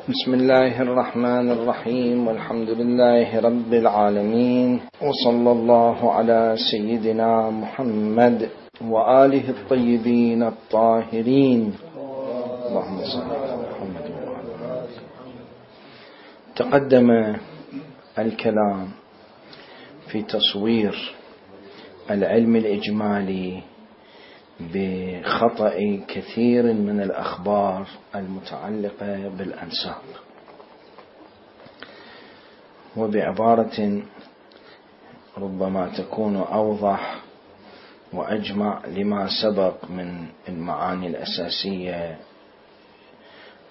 بسم الله الرحمن الرحيم، والحمد لله رب العالمين، وصلى الله على سيدنا محمد وآله الطيبين الطاهرين. اللهم صل على محمد وعلى آله. تقدم الكلام في تصوير العلم الإجمالي بخطأ كثير من الأخبار المتعلقة بالأنساب، وبعبارة ربما تكون أوضح وأجمع لما سبق من المعاني الأساسية،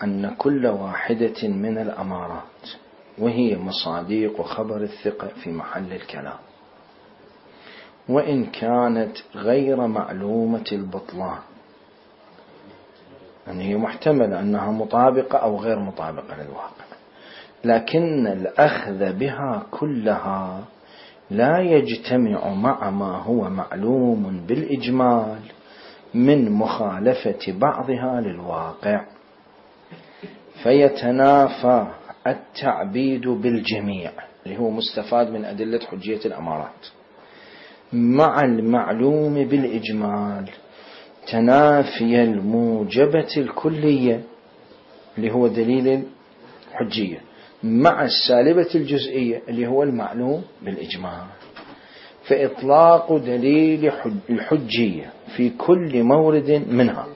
أن كل واحدة من الأمارات وهي مصادق وخبر الثقة في محل الكلام، وإن كانت غير معلومة البطلان، يعني هي محتملة أنها مطابقة أو غير مطابقة للواقع، لكن الأخذ بها كلها لا يجتمع مع ما هو معلوم بالإجمال من مخالفة بعضها للواقع، فيتنافى التعبيد بالجميع اللي هو مستفاد من أدلة حجية الأمارات مع المعلوم بالإجمال تنافي الموجبة الكلية اللي هو دليل الحجية مع السالبة الجزئية اللي هو المعلوم بالإجمال، فإطلاق دليل الحجية في كل مورد منها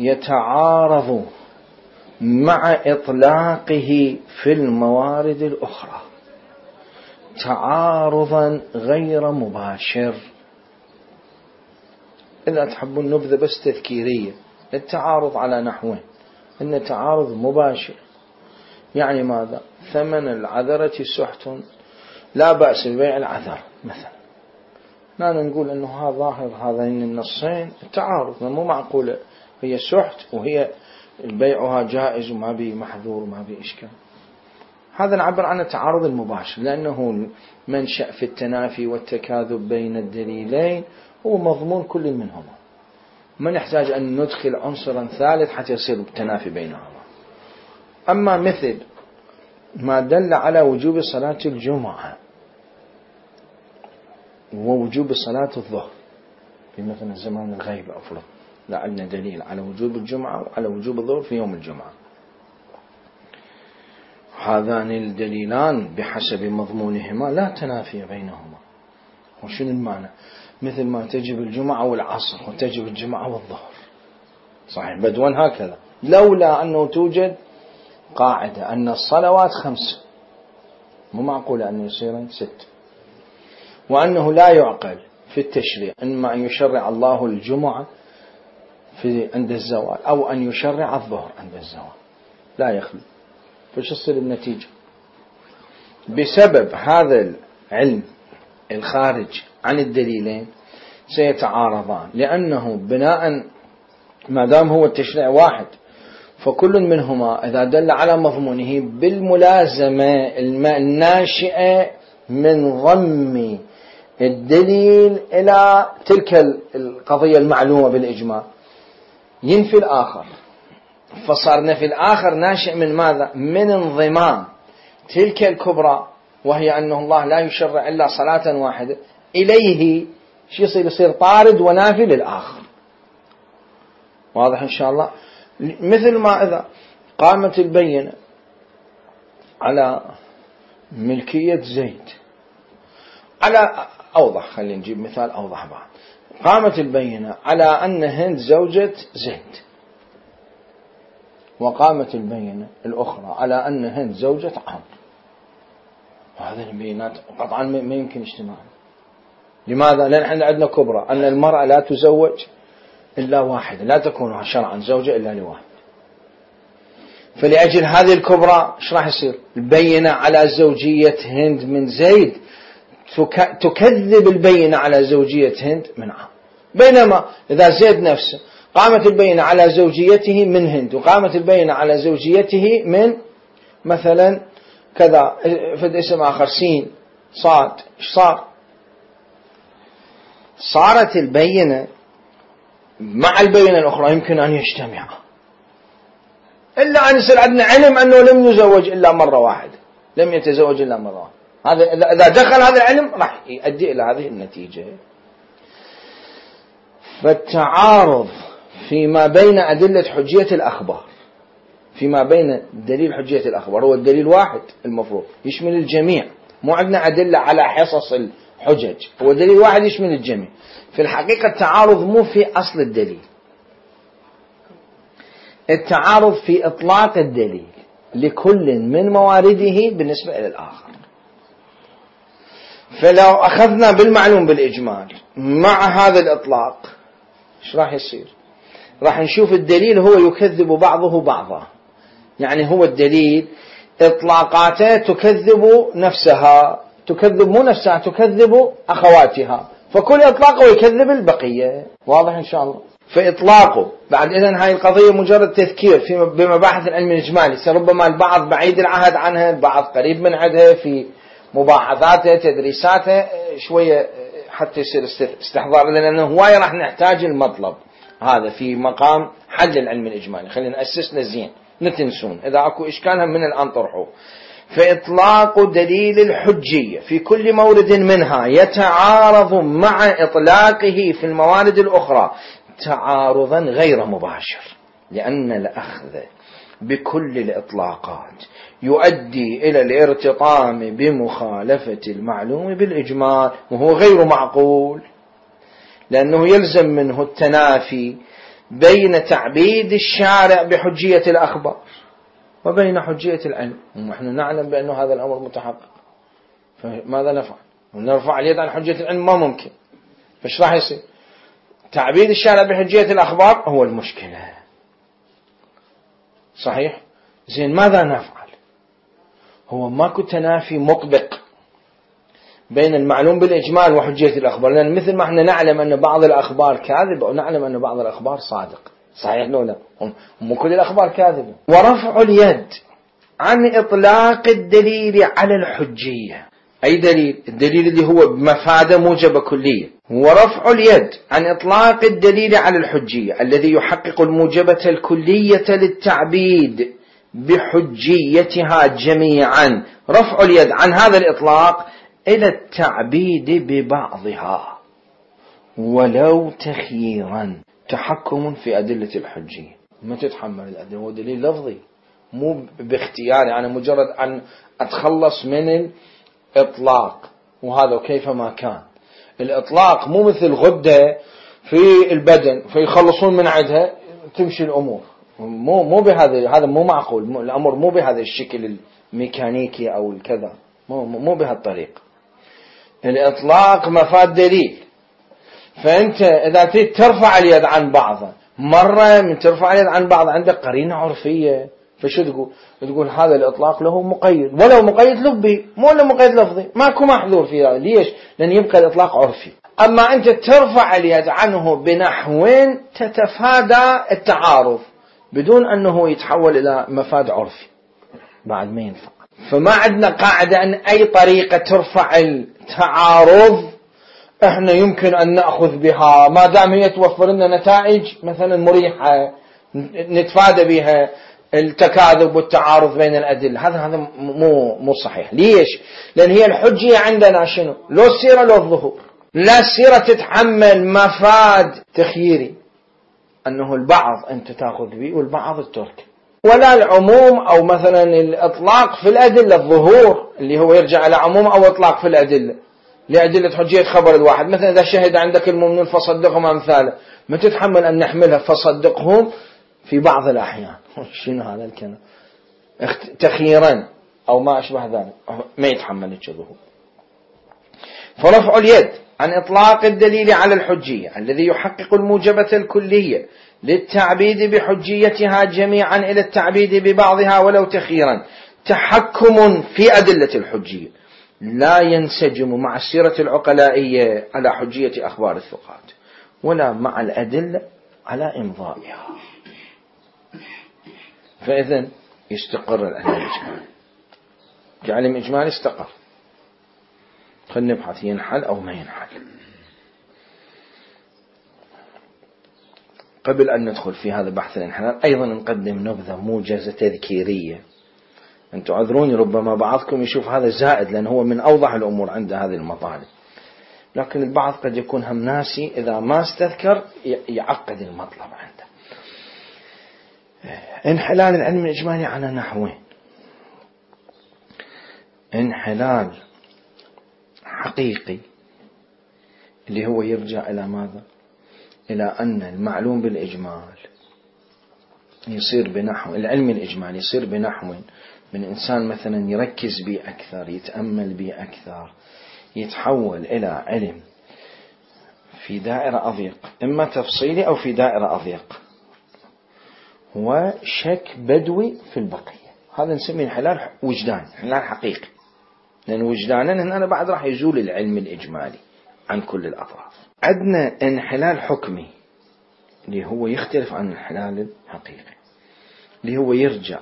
يتعارض مع إطلاقه في الموارد الأخرى تعارضا غير مباشر. إذا تحبون نبذة بس تذكيرية، التعارض على نحوين: إن تعارض مباشر يعني ماذا؟ ثمن العذرة سحت، لا بأس ببيع العذر مثلا، لا نقول أنه هذا ظاهر هذين النصين التعارض، مو معقولة هي سحت وهي بيعها جائز وما بي محذور وما بي إشكال. هذا نعبر عن التعارض المباشر، لأنه منشأ في التنافي والتكاذب بين الدليلين هو مضمون كل منهما، ما نحتاج أن ندخل عنصرا ثالث حتى يصير التنافي بينهما. أما مثل ما دل على وجوب صلاة الجمعة ووجوب صلاة الظهر في مثل زمان الغيب أفضل، لعلنا دليل على وجوب الجمعة وعلى وجوب الظهر في يوم الجمعة، هذان الدليلان بحسب مضمونهما لا تنافي بينهما. وشنو المعنى؟ مثل ما تجب الجمعة والعصر وتجب الجمعة والظهر، صحيح بدون هكذا، لولا أنه توجد قاعدة أن الصلوات 5 مو معقول أن يصيرن 6، وأنه لا يعقل في التشريع إما أن يشرع الله الجمعة عند الزوال أو أن يشرع الظهر عند الزوال، لا يخلو. فش تصير النتيجة؟ بسبب هذا العلم الخارج عن الدليلين سيتعارضان، لأنه بناء ما دام هو التشريع واحد فكل منهما إذا دل على مضمونه بالملازمة الناشئة من ضم الدليل إلى تلك القضية المعلومة بالإجماع ينفي الآخر، فصار نفي الآخر ناشئ من ماذا؟ من انضمام تلك الكبرى، وهي أنه الله لا يشرع إلا صلاة واحدة إليه، شو يصير طارد ونافي للآخر. واضح إن شاء الله؟ مثل ما إذا قامت البينة على ملكية زيد، على أوضح، خلينا نجيب مثال أوضح بعد، قامت البينة على أن هند زوجة زيد، وقامت البينة الأخرى على أن هند زوجة عمرو، وهذه البينات قطعا ما يمكن اجتماعها. لماذا؟ لأن احنا عندنا كبرى أن المرأة لا تزوج إلا واحدة، لا تكون شرعا زوجة إلا لواحد، فلأجل هذه الكبرى ايش راح يصير؟ البينة على زوجية هند من زيد تكذب البينة على زوجية هند من عمرو، بينما إذا زيد نفسه قامت البينة على زوجيته من هند وقامت البينة على زوجيته من مثلا كذا فد اسم آخر سين صاد، ايش صار؟ صارت البينة مع البينة الأخرى يمكن أن يجتمعا، إلا أن يصير عندنا علم أنه لم يزوج إلا مرة واحدة، لم يتزوج إلا مرة واحدة، هذا إذا دخل هذا العلم راح يؤدي إلى هذه النتيجة. فالتعارض فيما بين أدلة حجية الأخبار، فيما بين دليل حجية الأخبار هو الدليل واحد المفروض يشمل الجميع، مو عندنا أدلة على حصص الحجج، هو دليل واحد يشمل الجميع. في الحقيقة التعارض مو في أصل الدليل، التعارض في إطلاق الدليل لكل من موارده بالنسبة إلى الآخر. فلو أخذنا بالمعلوم بالإجمال مع هذا الإطلاق إيش راح يصير؟ راح نشوف الدليل هو يكذب بعضه بعضا، يعني هو الدليل إطلاقاته تكذب نفسها، تكذب مو نفسها، تكذب أخواتها، فكل إطلاق يكذب البقية. واضح إن شاء الله؟ فإطلاقه بعد إذن هاي القضية مجرد تذكير بمباحث العلم الإجمالي، ربما البعض بعيد العهد عنها، البعض قريب من عندها في مباحثاته تدريساته شوية حتى يصير استحضار، لأنه هواية راح نحتاج المطلب هذا في مقام حل العلم الإجمالي. خلينا نأسسنا زين نتنسون، إذا أكو إشكال هم من الآن طرحوه. فإطلاق دليل الحجية في كل مورد منها يتعارض مع إطلاقه في الموارد الأخرى تعارضا غير مباشر، لأن الأخذ بكل الإطلاقات يؤدي إلى الارتطام بمخالفة المعلوم بالإجمال، وهو غير معقول، لأنه يلزم منه التنافي بين تعبيد الشارع بحجية الأخبار وبين حجية العلم، ونحن نعلم بأن هذا الأمر متحقق. فماذا نفعل؟ نرفع اليد عن حجية العلم؟ ما ممكن. فايش راح يصير؟ تعبيد الشارع بحجية الأخبار هو المشكلة. صحيح؟ زين ماذا نفعل؟ هو ماكو تنافي مطبق بين المعلوم بالإجمال وحجية الأخبار، لأن مثل ما احنا نعلم أن بعض الأخبار كاذبة ونعلم أن بعض الأخبار صادق. صحيح لو لا؟ مو كل الأخبار كاذبة. ورفع اليد عن إطلاق الدليل على الحجية، أي دليل؟ الدليل اللي هو بمفادة موجبة كلية. ورفع اليد عن إطلاق الدليل على الحجية الذي يحقق الموجبة الكلية للتعبيد بحجيتها جميعا، رفع اليد عن هذا الإطلاق إلى التعبيد ببعضها ولو تخييرا، تحكم في أدلة الحجية. ما تتحمل الأدلة، هو دليل لفظي مو باختياري، أنا مجرد أن أتخلص من الإطلاق، وهذا كيفما كان. الإطلاق مو مثل غدة في البدن فيخلصون من عندها تمشي الأمور، مو بهذا، هذا مو معقول، الأمر مو بهذا الشكل الميكانيكي أو الكذا، مو بهالطريقة. الإطلاق مفاد دليل، فأنت إذا تريد ترفع اليد عن بعضها، مرة من ترفع اليد عن بعض عندك قرينة عرفية، فشو تقول؟ تقول هذا الإطلاق له مقيد، ولو مقيد لفظي مو له مقيد لفظي، ماكو محذور فيه. ليش؟ لأن يبقى الإطلاق عرفي. أما أنت ترفع اليد عنه بنحو تتفادى التعارض بدون أنه يتحول إلى مفاد عرفي، بعد ما ينفع. فما عندنا قاعدة أن أي طريقة ترفع التعارض احنا يمكن أن نأخذ بها ما دام هي توفر لنا نتائج مثلا مريحة نتفادى بها التكاذب والتعارض بين الأدلة. هذا مو صحيح. ليش؟ لأن هي الحجية عندنا شنو؟ لو السيرة لو الظهور. لا السيرة تتحمل مفاد تخييري أنه البعض أنت تأخذ به والبعض الترك، ولا العموم أو مثلا الإطلاق في الأدلة، الظهور اللي هو يرجع على عموم أو إطلاق في الأدلة لأدلة حجية خبر الواحد. مثلا إذا شهد عندك المؤمنون فصدقهم أمثاله، ما تتحمل أن نحملها فصدقهم في بعض الأحيان. شنو هذا الكلام؟ تخييرا أو ما أشبه ذلك، ما يتحمل الظهور. فرفع اليد عن إطلاق الدليل على الحجية الذي يحقق الموجبة الكلية للتعبيد بحجيتها جميعا إلى التعبيد ببعضها ولو تخييرا، تحكم في أدلة الحجية لا ينسجم مع السيرة العقلائية على حجية أخبار الثقات ولا مع الأدلة على إمضائها. فإذن يستقر العلم الإجمالي، كعلم إجمالي استقر. خلينا نبحث ينحل أو ما ينحل. قبل أن ندخل في هذا بحث الانحلال أيضا نقدم نبذة موجزة تذكيرية. أنتم عذروني ربما بعضكم يشوف هذا زائد لأن هو من أوضح الأمور عند هذه المطالب، لكن البعض قد يكون هم ناسي إذا ما استذكر يعقد المطلب عنده. انحلال العلم الإجمالي على نحوين: انحلال حقيقي اللي هو يرجع إلى ماذا؟ إلى أن المعلوم بالإجمال يصير بنحو العلم الإجمالي يصير بنحو من إنسان مثلا يركز به أكثر، يتأمل به أكثر، يتحول إلى علم في دائرة أضيق، إما تفصيلي أو في دائرة أضيق، هو شك بدوي في البقية. هذا نسميه انحلال وجدان، انحلال حقيقي، لأن وجدانا هنا بعد راح يزول العلم الإجمالي عن كل الأطراف. عندنا انحلال حكمي اللي هو يختلف عن الانحلال الحقيقي، اللي هو يرجع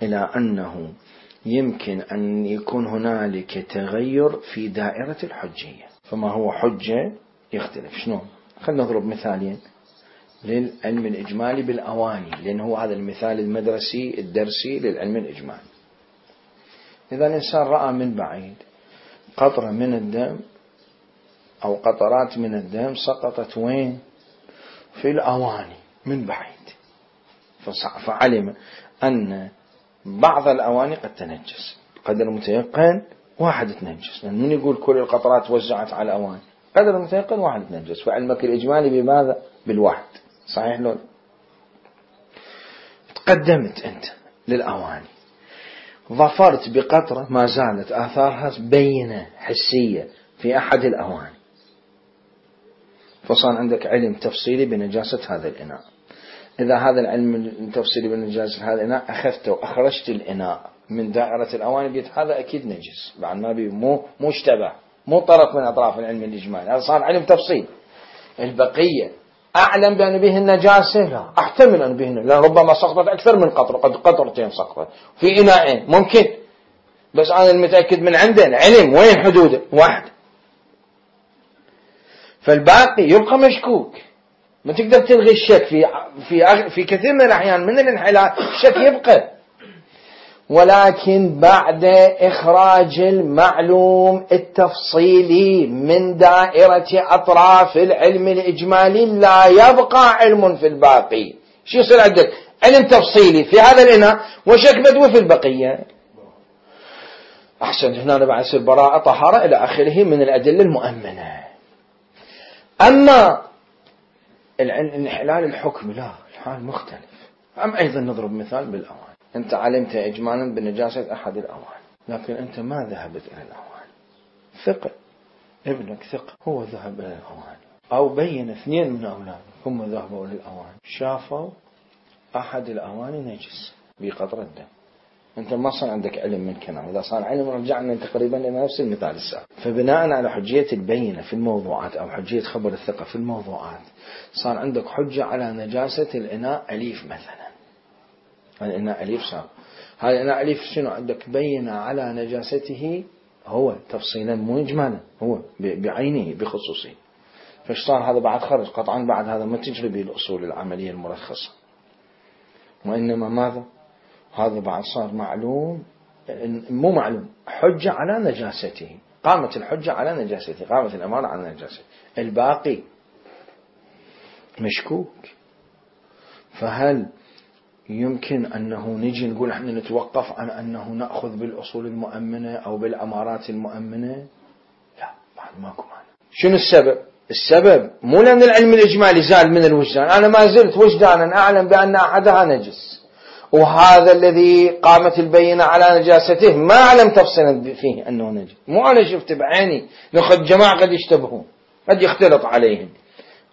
إلى أنه يمكن أن يكون هنالك تغير في دائرة الحجية. فما هو حجة يختلف. شلون؟ خلنا نضرب مثالين للعلم الإجمالي بالأواني، لأن هو هذا المثال المدرسي الدرسي للعلم الإجمالي. إذا الإنسان رأى من بعيد قطرة من الدم أو قطرات من الدم سقطت وين؟ في الأواني من بعيد، فعلم أن بعض الأواني قد تنجس قدر متيقن، واحد تنجس، لأن من يقول كل القطرات وزعت على الأواني؟ قدر متيقن واحد تنجس. فعلمك الإجمالي بماذا؟ بالواحد. صحيح لو تقدمت أنت للأواني ظفرت بقطرة ما زالت آثارها بينة حسية في أحد الأواني، فصار عندك علم تفصيلي بنجاسة هذا الإناء. إذا هذا العلم التفصيلي بنجاسة هذا الإناء أخذته وأخرجت الإناء من دائرة الأواني بيت هذا أكيد نجس، بعد ما بي مو اشتبه، مو طرف من أطراف العلم الإجمالي، هذا صار علم تفصيل. البقية أعلم بأن به النجاسة؟ لا، أحتمل أن به، لأن ربما سقطت أكثر من قطرة، قد قطرتين سقطت في إناءين ممكن، بس أنا المتأكد من عندنا علم وين حدوده؟ واحد. فالباقي يبقى مشكوك، ما تقدر تلغي الشك في كثير من الأحيان من الانحلال الشك يبقى، ولكن بعد إخراج المعلوم التفصيلي من دائرة أطراف العلم الإجمالي لا يبقى علم في الباقي. شو يصير عندك؟ علم تفصيلي في هذا الإناء وشك بدوي في البقية. أحسن، هنا بعد يصير براءة طهارة إلى آخره من الأدلة المؤمنة. أما الانحلال الحكم لا، الحال مختلف. أيضا نضرب مثال بالأوان. أنت علمت إجمالا بنجاسة أحد الأوان، لكن أنت ما ذهبت إلى الأوان، ثقة ابنك ثقة هو ذهب إلى الأوان، أو بين اثنين من أولادك هم ذهبوا إلى الأوان شافوا أحد الأوان نجس بقطرة دم، أنت ما صار عندك علم من كلام. إذا صار علم رجعنا تقريبا إلى نفس المثال السابق. فبناء على حجية البينة في الموضوعات أو حجية خبر الثقة في الموضوعات صار عندك حجة على نجاسة الإناء أليف مثلا. الإناء أليف صار هذا الإناء أليف شنو عندك؟ بينة على نجاسته هو تفصيلا مو إجمالا، هو بعينه بخصوصه. فايش صار؟ هذا بعد خرج قطعا، بعد هذا ما تجري به الأصول العملية المرخصة، وإنما ماذا؟ هذا بعد صار معلوم، مو معلوم، حجة على نجاسته، قامت الحجة على نجاسته، قامت الأمانة على نجاسته، الباقي مشكوك. فهل يمكن أنه نجي نقول احنا نتوقف عن أنه نأخذ بالأصول المؤمنة أو بالأمارات المؤمنة؟ لا، بعد ماكو معنى. شنو السبب؟ السبب مو لأن العلم الإجمالي زال من الوجدان، أنا ما زلت وجدانا أعلم بأن أحدها نجس، وهذا الذي قامت البينة على نجاسته ما أعلم تفصيلا فيه أنه نجس، مو أنا شفت بعيني، ناخذ جماعة قد يشتبهون، قد يختلط عليهم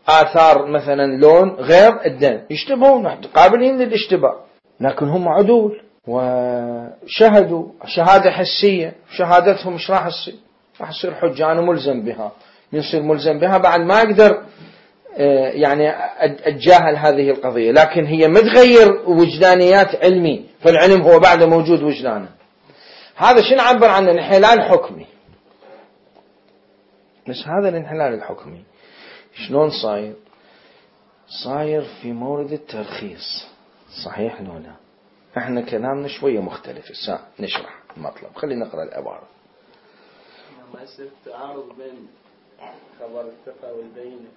آثار مثلا لون غير الدم، يشتبهون قابلين للاشتباه، لكن هم عدول وشهدوا شهادة حسية، شهادتهم مش راح تصير، راح تصير حجة أنا ملزم بها، يصير ملزم بها بعد ما أقدر يعني أتجاهل هذه القضية، لكن هي متغير وجدانيات علمي، فالعلم هو بعد موجود وجدانه. هذا شنو عبر عنه؟ انحلال حكمي. بس هذا الانحلال الحكمي شلون صاير؟ صاير في مورد الترخيص، صحيح لو لا؟ احنا كلامنا شوية مختلف، الساعة نشرح المطلب. خلينا نقرأ العبارة. ما يصير تعارض بين خبر الثقة والبينة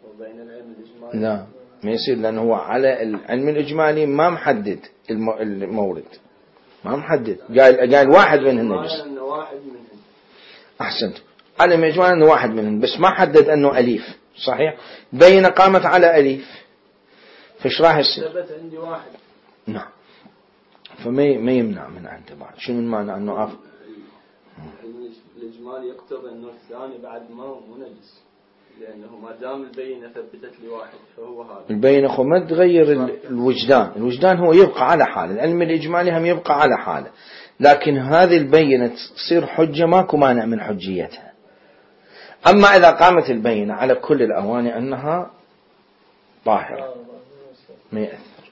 وبين العلم الإجمالي؟ لا ما يصير، لأنه هو على العلم الإجمالي ما محدد المورد، ما محدد، قال واحد منهن بس. أحسنت، علم الإجمالي أنه واحد منهن بس، ما حدد أنه أليف، صحيح؟ بينة قامت على أليف، فش راح يصير؟ ثبت عندي واحد. نعم، فما يمنع من عنده بعد. شنو المعنى أنه الإجمالي يقتضي أنه الثاني بعد ما نجس، لأنه ما دام البينة ثبتت لي واحد فهو هذا. البينة ما تغير الوجدان هو يبقى على حاله، العلم الإجمالي هم يبقى على حاله، لكن هذه البينة تصير حجة، ماكو مانع من حجيتها. أما إذا قامت البينة على كل الأواني أنها طاهرة ما يأثر،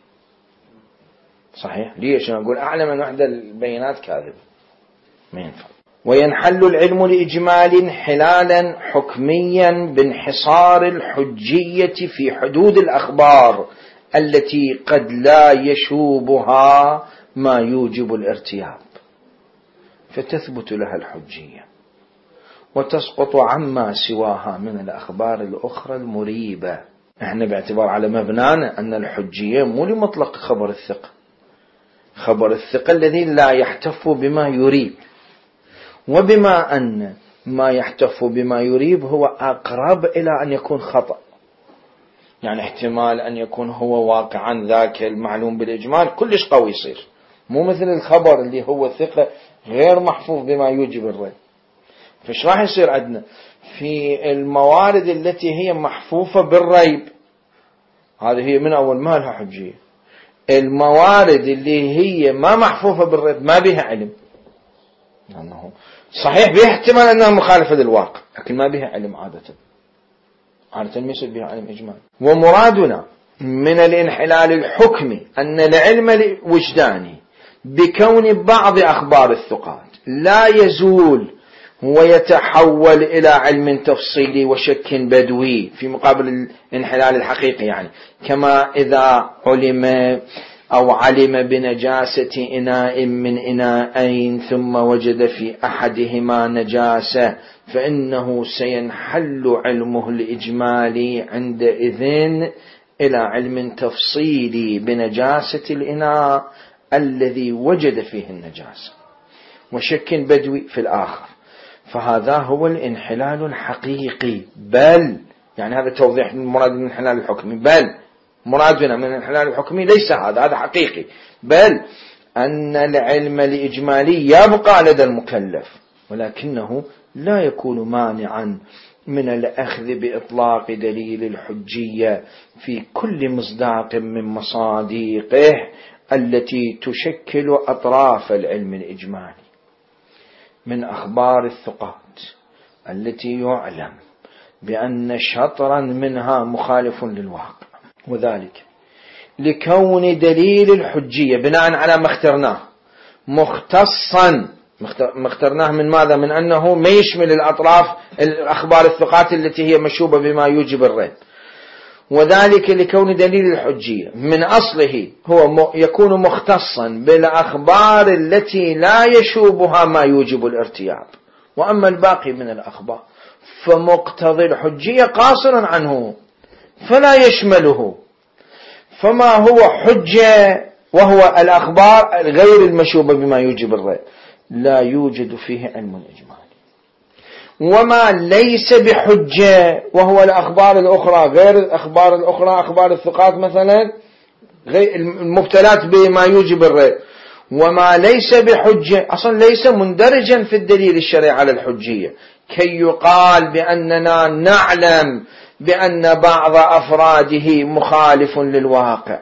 صحيح؟ ليش أقول أعلم أن واحدة البينات كاذب ما ينفع. وينحل العلم الإجمالي انحلالا حكميا بانحصار الحجية في حدود الأخبار التي قد لا يشوبها ما يوجب الارتياب، فتثبت لها الحجية وتسقط عما سواها من الأخبار الأخرى المريبة. احنا باعتبار على مبنانا أن الحجية مو لمطلق خبر الثقة، خبر الثقة الذي لا يحتف بما يريب، وبما أن ما يحتف بما يريب هو أقرب إلى أن يكون خطأ، يعني احتمال أن يكون هو واقعا ذاك المعلوم بالإجمال كلش قوي يصير، مو مثل الخبر اللي هو ثقة غير محفوظ بما يوجب الريب. فش راح يصير عندنا في الموارد التي هي محفوفة بالريب؟ هذه هي من أول ما لها حجية. الموارد اللي هي ما محفوفة بالريب ما بها علم، لأنه صحيح بها احتمال أنها مخالفة للواقع لكن ما بها علم عادة ما يصير بها علم إجمال. ومرادنا من الانحلال الحكمي أن العلم الوجداني بكون بعض أخبار الثقات لا يزول ويتحول إلى علم تفصيلي وشك بدوي في مقابل الانحلال الحقيقي، يعني كما إذا علم بنجاسة إناء من إناءين ثم وجد في أحدهما نجاسة فإنه سينحل علمه الإجمالي عندئذ إلى علم تفصيلي بنجاسة الإناء الذي وجد فيه النجاسة وشك بدوي في الآخر، فهذا هو الانحلال الحقيقي. بل يعني هذا توضيح المراد من الانحلال الحكمي، بل مرادنا من الانحلال الحكمي ليس هذا حقيقي، بل أن العلم الإجمالي يبقى لدى المكلف ولكنه لا يكون مانعا من الأخذ بإطلاق دليل الحجية في كل مصداق من مصادقه التي تشكل أطراف العلم الإجمالي من أخبار الثقات التي يعلم بأن شطرا منها مخالف للواقع، وذلك لكون دليل الحجية بناء على ما اخترناه مختصا، ما اخترناه من ماذا؟ من أنه ما يشمل الأطراف الأخبار الثقات التي هي مشوبة بما يوجب الريب، وذلك لكون دليل الحجية من أصله هو يكون مختصا بالأخبار التي لا يشوبها ما يوجب الارتياب، وأما الباقي من الأخبار فمقتضي الحجية قاصرا عنه فلا يشمله، فما هو حجة وهو الأخبار غير المشوبة بما يوجب الريب لا يوجد فيه علم الإجمالي، وما ليس بحجة وهو الأخبار الأخرى غير الأخبار الأخرى، أخبار الثقات مثلا غير المبتلات بما يوجب الريب، وما ليس بحجة أصلا ليس مندرجا في الدليل الشرعي على الحجية كي يقال بأننا نعلم بأن بعض أفراده مخالف للواقع،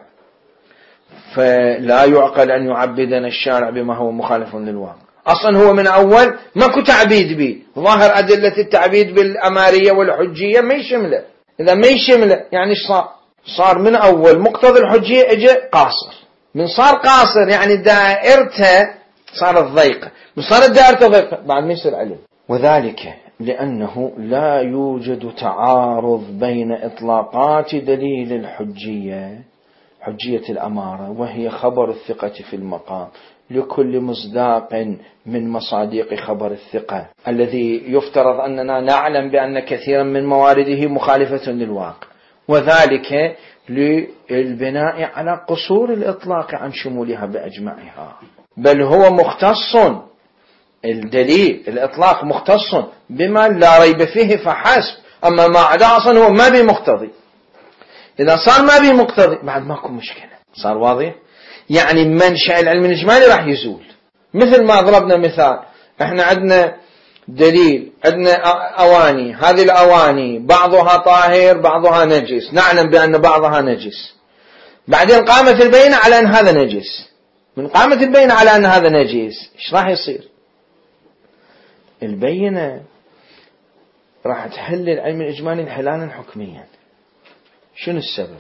فلا يعقل أن يعبدنا الشارع بما هو مخالف للواقع. أصلا هو من أول ماكو تعبيد به، ظاهر أدلة التعبيد بالأمارية والحجية ما يشمله، إذا ما يشمله يعني صار من أول مقتضى الحجية اجى قاصر، من صار قاصر يعني دائرته صارت ضيقة، من صارت دائرته ضيقة بعد ما يصير علم. وذلك لأنه لا يوجد تعارض بين إطلاقات دليل الحجية، حجية الأمارة وهي خبر الثقة في المقام، لكل مصداق من مصادق خبر الثقة الذي يفترض أننا نعلم بأن كثيرا من موارده مخالفة للواقع، وذلك للبناء على قصور الإطلاق عن شمولها بأجمعها، بل هو مختص، الدليل الإطلاق مختص بما لا ريب فيه فحسب، أما ما عدا أصلا هو ما بمقتضي. إذا صار ما بمقتضي بعد ماكو مشكلة، صار واضح؟ يعني منشأ العلم الإجمالي راح يزول. مثل ما ضربنا مثال، احنا عندنا دليل، عندنا أواني، هذه الأواني بعضها طاهر بعضها نجس، نعلم بأن بعضها نجس، بعدين قامت البينة على أن هذا نجس، من قامت البينة على أن هذا نجس إيش راح يصير؟ البينة راح تحل العلم الإجمالي انحلالا حكميا. شنو السبب؟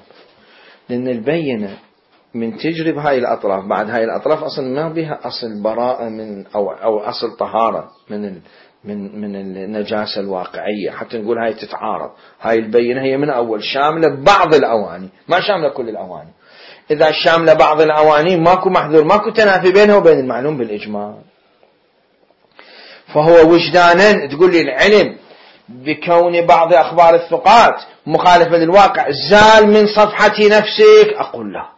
لأن البينة من تجرب هاي الأطراف، بعد هاي الأطراف أصلا ما بها أصل براءة من أو أصل طهارة من النجاسة الواقعية، حتى نقول هاي تتعارض. هاي البينة هي من أول شاملة بعض الأواني، ما شاملة كل الأواني. إذا شاملة بعض الأواني ماكو محذور، ماكو تنافي بينه وبين المعلوم بالإجمال. فهو وجدانا تقول لي العلم بكون بعض أخبار الثقات مخالفة للواقع زال من صفحة نفسك، أقول لا،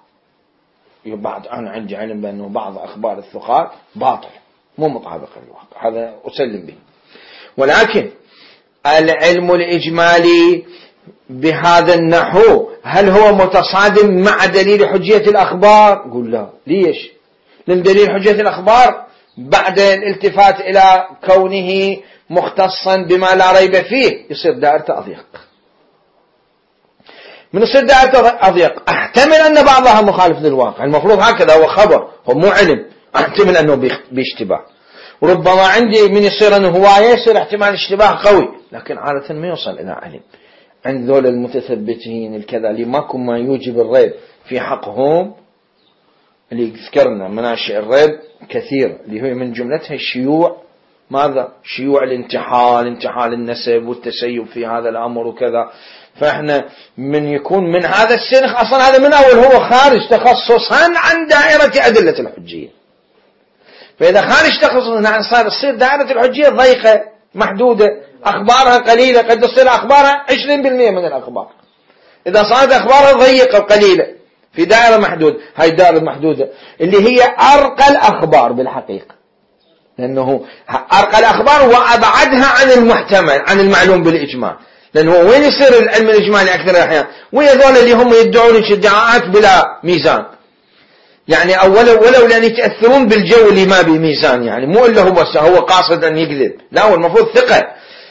بعد أنا عندي علم بأنه بعض أخبار الثقات باطل مو مطابقة للواقع، هذا أسلم به. ولكن العلم الإجمالي بهذا النحو هل هو متصادم مع دليل حجية الأخبار؟ قل لا. ليش؟ لأن دليل حجية الأخبار بعد الالتفات إلى كونه مختصا بما لا ريب فيه يصير دائرته أضيق. من يصير دائرته أضيق أحتمل أن بعضها مخالف للواقع، المفروض هكذا، هو خبر، هو مو علم، أحتمل أنه باشتباه. وربما عندي من يصير أنه هواية يصير احتمال اشتباه قوي، لكن عادة ما يوصل إلى علم. عند ذول المتثبتين الكذا اللي ماكو ما يوجب الريب في حقهم، اللي ذكرنا مناشئ الريب كثير، اللي هي من جملتها الشيوع، ماذا؟ شيوع الانتحال، انتحال النسب والتسيب في هذا الأمر وكذا. فإحنا من يكون من هذا السنخ أصلا هذا من أول هو خارج تخصصا عن دائرة أدلة الحجية. فإذا خارج تخصصا صار تصير دائرة الحجية ضيقة محدودة، أخبارها قليلة، قد تصير أخبارها 20% من الأخبار. إذا صارت أخبارها ضيقة وقليلة في دائرة محدودة، هاي الدائرة المحدودة اللي هي أرقى الأخبار بالحقيقة، لأنه أرقى الأخبار وأبعدها عن المحتمل، عن المعلوم بالإجمال. لأنه وين يصير العلم الإجمالي أكثر الأحيان؟ ويا ذول اللي هم يدعون ادعاءات بلا ميزان، يعني ولو لأن يتأثرون بالجو اللي ما بميزان، يعني مو إلا هو قاصد أن يكذب، لا هو المفروض ثقة،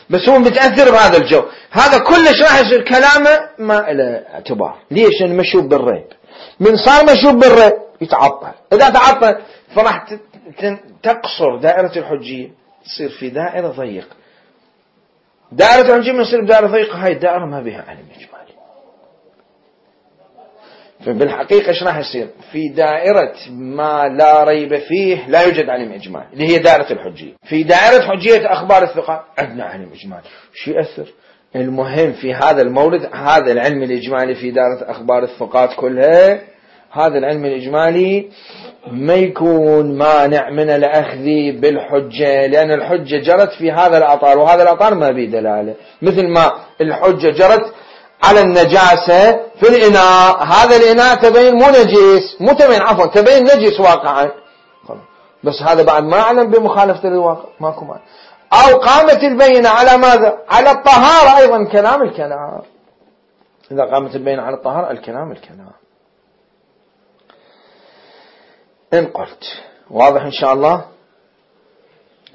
بس هو متأثر بهذا الجو، هذا كلش راح يصير كلامه ما له اعتبار. ليش؟ لأنه مشوب بالريب. من صار مشوب بالريب يتعطل، إذا تعطل فراح تقصر دائرة الحجية، تصير في دائرة ضيقة. دائرة الحجية من يصير بدائرة ضيقة، هاي الدائرة ما بها علم إجمالي. فبالحقيقة ايش راح يصير؟ في دائرة ما لا ريب فيه لا يوجد علم إجمالي، اللي هي دائرة الحجية. في دائرة حجية أخبار الثقات عندنا علم إجمالي. شو يأثر؟ المهم في هذا المورد هذا العلم الإجمالي في دائرة أخبار الثقات كلها، هذا العلم الإجمالي ما يكون مانع من الأخذ بالحجة، لأن الحجة جرت في هذا الأطار، وهذا الأطار ما به دلالة. مثل ما الحجة جرت على النجاسة في الإناء، هذا الإناء تبين مو نجس، مو تبين عفوا تبين نجس واقعا، بس هذا بعد ما أعلم بمخالفة للواقع، ماكو مانع. أو قامت البينة على ماذا؟ على الطهارة أيضا، كلام الكلام. إذا قامت البينة على الطهارة الكلام. إن قلت واضح إن شاء الله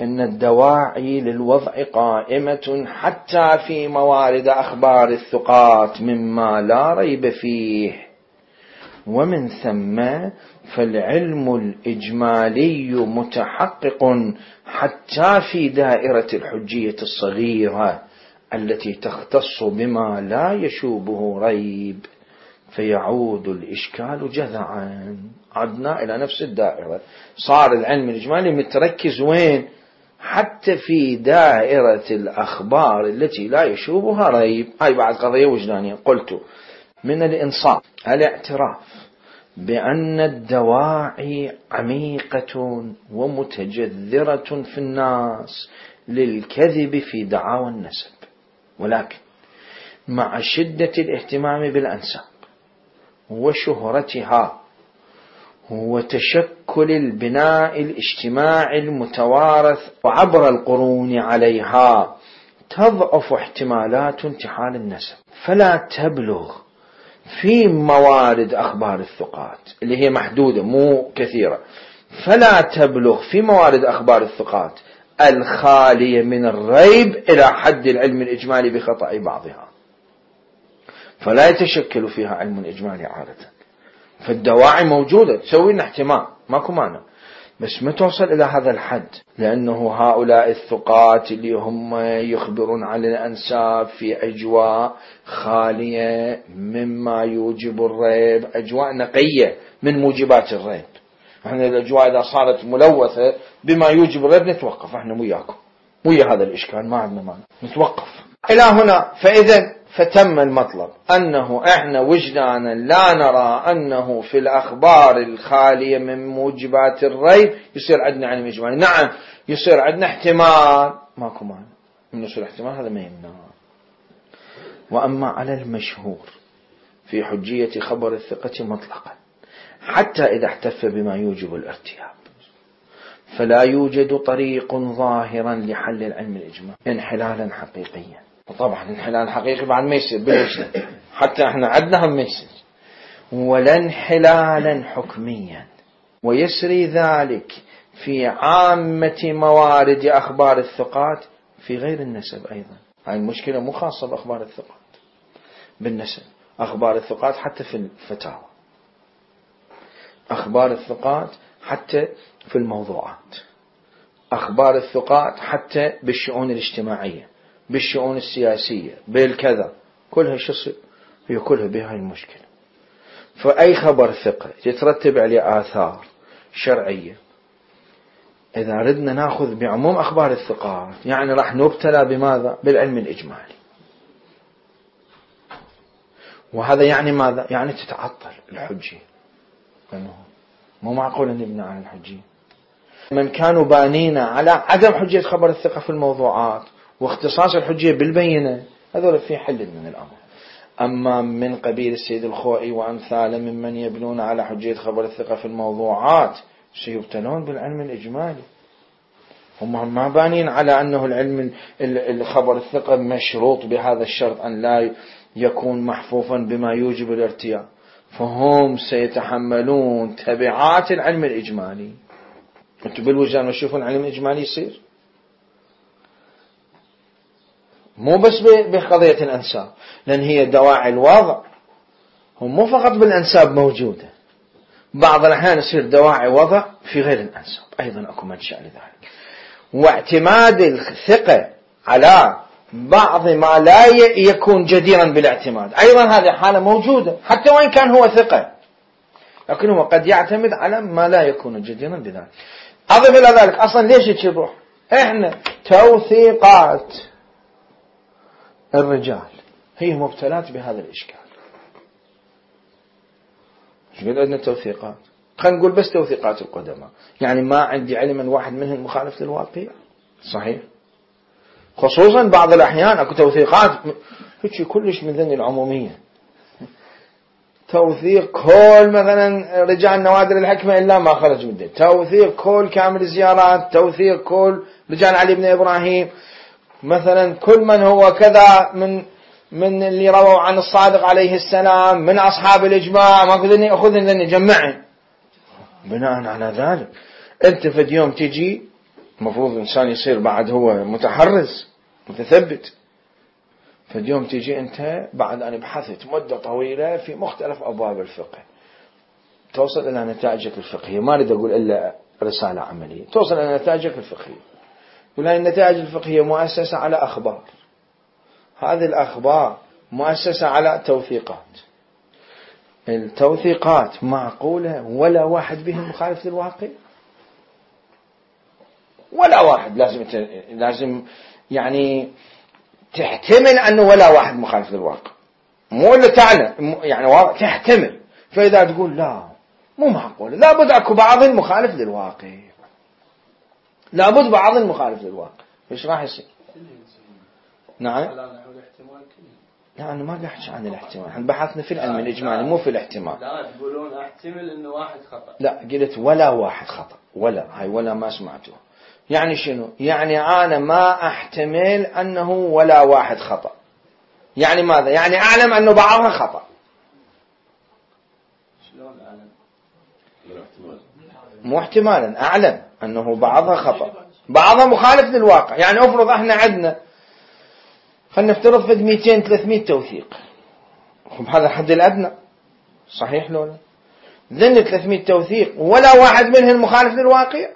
إن الدواعي للوضع قائمة حتى في موارد أخبار الثقات مما لا ريب فيه، ومن ثم فالعلم الإجمالي متحقق حتى في دائرة الحجية الصغيرة التي تختص بما لا يشوبه ريب، فيعود الإشكال جذعا. عدنا إلى نفس الدائرة، صار العلم الإجمالي متركز وين؟ حتى في دائرة الأخبار التي لا يشوبها ريب. هاي بعد قضية وجدانية. قلت من الإنصاف الاعتراف بأن الدواعي عميقة ومتجذرة في الناس للكذب في دعاوى النسب، ولكن مع شدة الاهتمام بالأنساب وشهرتها وتشكل البناء الاجتماعي المتوارث وعبر القرون عليها تضعف احتمالات انتحال النسب، فلا تبلغ في موارد أخبار الثقات اللي هي محدودة مو كثيرة، فلا تبلغ في موارد أخبار الثقات الخالية من الريب إلى حد العلم الإجمالي بخطأ بعضها، فلا يتشكل فيها علم إجمالي عادة. فالدواعي موجودة تسوي لنا احتمال ماكو مانع، بس ما توصل إلى هذا الحد، لأنه هؤلاء الثقات اللي هم يخبرون عن الأنساب في أجواء خالية مما يوجب الريب، أجواء نقية من موجبات الريب. احنا الأجواء إذا صارت ملوثة بما يوجب الريب نتوقف، احنا وياكم ويا هذا الإشكال ما عندنا مانع نتوقف إلى هنا. فإذا فتم المطلب أنه إحنا وجدانا لا نرى أنه في الأخبار الخالية من موجبات الريب يصير عندنا علم إجمالي. نعم يصير عندنا احتمال ماكو مانع من يصير احتمال، هذا ما يمنع. وأما على المشهور في حجية خبر الثقة مطلقا حتى إذا احتف بما يوجب الارتياب فلا يوجد طريق ظاهرا لحل العلم الإجمالي انحلالا حقيقيا. وطبعا انحلال حقيقي بعد ما يصير بالوجدان، حتى احنا عندنا هم يصير، ولا انحلالا حكميا. ويسري ذلك في عامة موارد أخبار الثقات في غير النسب أيضا. هاي المشكلة مو خاصة بأخبار الثقات، بالنسب أخبار الثقات حتى في الفتاوى، أخبار الثقات حتى في الموضوعات، أخبار الثقات حتى بالشؤون الاجتماعية، بالشؤون السياسية، بالكذا، كلها شصر هي كلها بهاي المشكلة. فأي خبر ثقة يترتب عليه آثار شرعية. إذا ردنا نأخذ بعموم أخبار الثقات يعني راح نبتلى بماذا؟ بالعلم الإجمالي. وهذا يعني ماذا؟ يعني تتعطل الحجية، مو معقول أن نبنى على الحجية. من كانوا بانين على عدم حجية خبر الثقة في الموضوعات واختصاص الحجية بالبينة هذول في حل من الأمر. أما من قبيل السيد الخوئي وأمثاله ممن يبنون على حجية خبر الثقة في الموضوعات سيبتلون بالعلم الإجمالي. هم ما بانين على أنه العلم الخبر الثقة مشروط بهذا الشرط أن لا يكون محفوفا بما يوجب الارتياب، فهم سيتحملون تبعات العلم الإجمالي. أنتم بالوجدان ما تشوفون العلم الإجمالي يصير مو بس بقضية الأنساب، لأن هي دواعي الوضع هم مو فقط بالأنساب موجودة، بعض الأحيان يصير دواعي وضع في غير الأنساب أيضا أكو منشأ لذلك. واعتماد الثقة على بعض ما لا يكون جديرا بالاعتماد أيضا هذه حالة موجودة، حتى وإن كان هو ثقة لكنه قد يعتمد على ما لا يكون جديرا بذلك. أضف إلى ذلك أصلا ليش تشبه إحنا توثيقات الرجال هي مبتلات بهذا الإشكال. ايش قد عندنا توثيقات؟ خلينا نقول بس توثيقات القدماء، يعني ما عندي علم أن واحد منهم مخالف للواقع صحيح، خصوصا بعض الأحيان أكو توثيقات هيك كلش من ذن العمومية، توثيق كل مثلا رجال نوادر الحكمة إلا ما خرج من توثيق كل كامل الزيارات، توثيق كل رجال علي بن إبراهيم مثلا، كل من هو كذا من اللي رووا عن الصادق عليه السلام من أصحاب الإجماع، ما كذني أخذن ذني جمعن. بناء على ذلك أنت في يوم تجي مفروض الإنسان يصير بعد هو متحرز متثبت، في يوم تجي أنت بعد أن بحثت مدة طويلة في مختلف أبواب الفقه توصل إلى نتائجك الفقهية، ما أريد أقول إلا رسالة عملية، توصل إلى نتائجك الفقهية، وهذه النتائج الفقهية مؤسسة على أخبار، هذه الأخبار مؤسسة على توثيقات، التوثيقات معقولة ولا واحد بهم مخالف للواقع؟ ولا واحد لازم يعني تحتمل أنه ولا واحد مخالف للواقع، مو اللي تعلم يعني تحتمل. فإذا تقول لا مو معقول، لابد أكو بعض مخالف للواقع، لابد بعض مخالف للواقع، إيش راح يصير؟ نعم. لا أنا ما قاعد أحكي عن الاحتمال، احنا بحثنا في العلم الإجمالي مو في الاحتمال. لا تقولون احتمل إنه واحد خطأ. لا قلت ولا واحد خطأ، ولا هاي ولا ما سمعتوه. يعني شنو؟ يعني أنا ما أحتمل أنه ولا واحد خطأ. يعني ماذا؟ يعني أعلم أنه بعضها خطأ. شلون أعلم؟ مو احتمالا، أعلم أنه بعضها خطأ، بعضها مخالف للواقع. يعني أفرض احنا عندنا خلنا نفترض في 200-300 توثيق، هذا الحد الأدنى صحيح لو لا؟ ذن 300 توثيق ولا واحد منهم مخالف للواقع،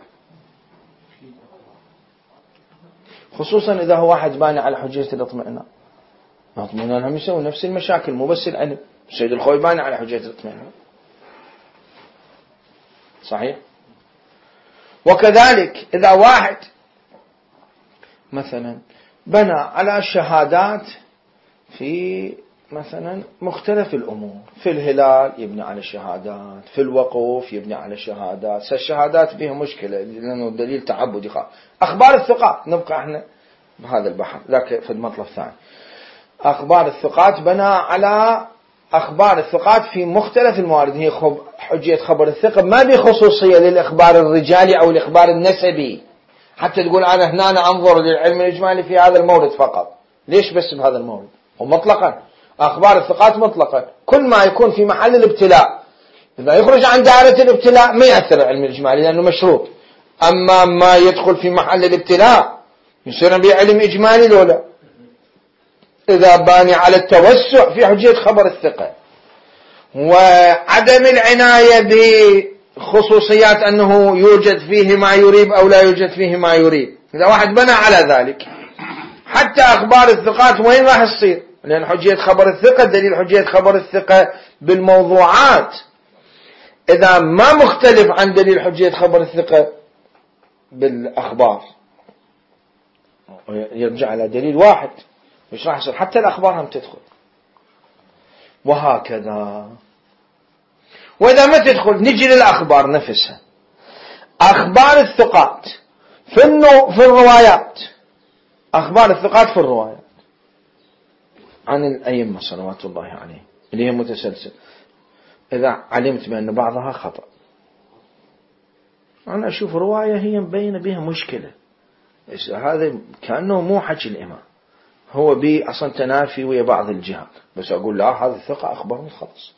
خصوصا إذا هو واحد باني على حجية الاطمئنان. الاطمئنان هم يسوون نفس المشاكل، مو بس العلم. السيد الخوي باني على حجية الاطمئنان صحيح. وكذلك إذا واحد مثلا بنى على الشهادات في مثلا مختلف الأمور، في الهلال يبني على الشهادات، في الوقوف يبني على الشهادات. الشهادات فيها مشكلة لأنه دليل تعبدي خاص. أخبار الثقات نبقى احنا بهذا البحث ذاك في المطلب الثاني. أخبار الثقات بنى على أخبار الثقات في مختلف الموارد، هي حجية خبر الثقة ما بخصوصية للإخبار الرجالي أو الإخبار النسبي، حتى تقول أنا هنا أنظر للعلم الإجمالي في هذا المورد فقط. ليش بس بهذا المورد؟ ومطلقا أخبار الثقات مطلقا كل ما يكون في محل الابتلاء، إذا يخرج عن دائرة الابتلاء ما يأثر العلم الإجمالي لأنه مشروط. أما ما يدخل في محل الابتلاء يصير به علم إجمالي لولا. إذا باني على التوسع في حجية خبر الثقة وعدم العناية بخصوصيات أنه يوجد فيه ما يريب أو لا يوجد فيه ما يريب، إذا واحد بنى على ذلك حتى أخبار الثقات وين راح تصير؟ لأن حجية خبر الثقة دليل حجية خبر الثقة بالموضوعات إذا ما مختلف عن دليل حجية خبر الثقة بالأخبار يرجع على دليل واحد، مش راح يصير حتى الأخبار هم تدخل وهكذا. وإذا ما تدخل نجي للأخبار نفسها. أخبار الثقات في الروايات، أخبار الثقات في الروايات عن الأئمة صلوات الله عليه اللي هي متسلسل، إذا علمت بأن بعضها خطأ أنا أشوف رواية هي مبينة بها مشكلة، هذا كأنه مو حكي الإمام، هو بي أصلا تنافي ويا بعض الجهات، بس أقول لا هذا الثقة أخبرني خلص.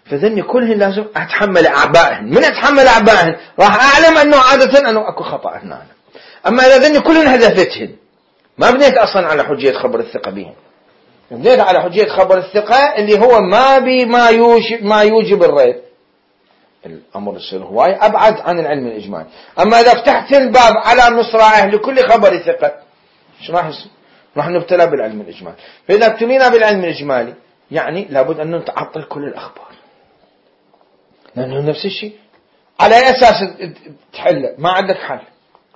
فذني كلهن لازم أتحمل أعبائهن. من أتحمل أعبائهن راح أعلم أنه عادة أنه أكو خطأ هنا. أما إذا ذني كلهن هدفتهن ما بنيت أصلا على حجية خبر الثقة بهم، بنيت على حجية خبر الثقة اللي هو ما يوجب الريب. الأمر يصير هواي أبعد عن العلم الإجمالي. أما إذا فتحت الباب على مصراعه لكل خبر ثقة إيش راح يصير؟ راح نبتلى بالعلم الإجمالي. فإذا ابتلينا بالعلم الإجمالي يعني لابد أن نتعطل كل الأخبار، لأنه نفس الشيء على أي أساس تحله؟ ما عندك حل.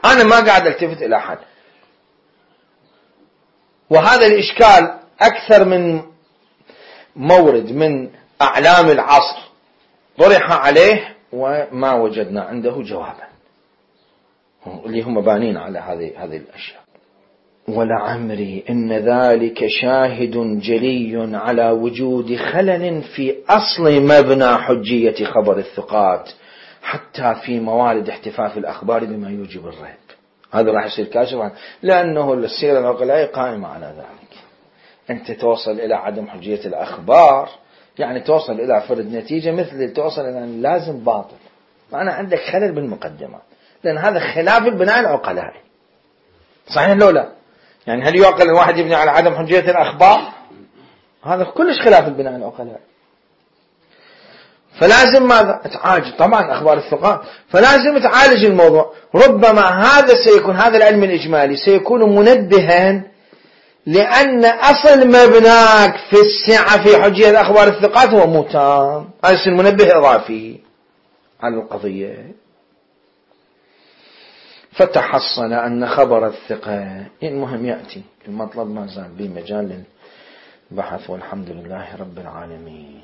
أنا ما قاعد التفت إلى حل. وهذا الإشكال أكثر من مورد من أعلام العصر طرح عليه وما وجدنا عنده جوابا، اللي هم بانين على هذه الأشياء. ولعمري إن ذلك شاهد جلي على وجود خلل في أصل مبنى حجية خبر الثقات حتى في موارد احتفاف الأخبار بما يوجب الريب. هذا راح يصير كاشف عنه، لأنه السيرة العقلائية قائمة على ذلك. أنت توصل إلى عدم حجية الأخبار يعني توصل إلى فرد نتيجة مثل توصل إلى أن لازم باطل، معنى عندك خلل بالمقدمات، لأن هذا خلاف البناء العقلائي. صحيح لو لا؟ يعني هل يعقل الواحد يبني على عدم حجية الأخبار؟ هذا كلش خلاف البناء العقلائي. فلازم ماذا؟ تعالج طبعا أخبار الثقات، فلازم تعالج الموضوع. ربما هذا العلم الإجمالي سيكون منبها، لأن أصل مبناك في السعة في حجية أخبار الثقات هو مو تام، هذا المنبه إضافي على القضية. فتحصل أن خبر الثقة، المهم يأتي المطلب ما زال به مجال للبحث، والحمد لله رب العالمين.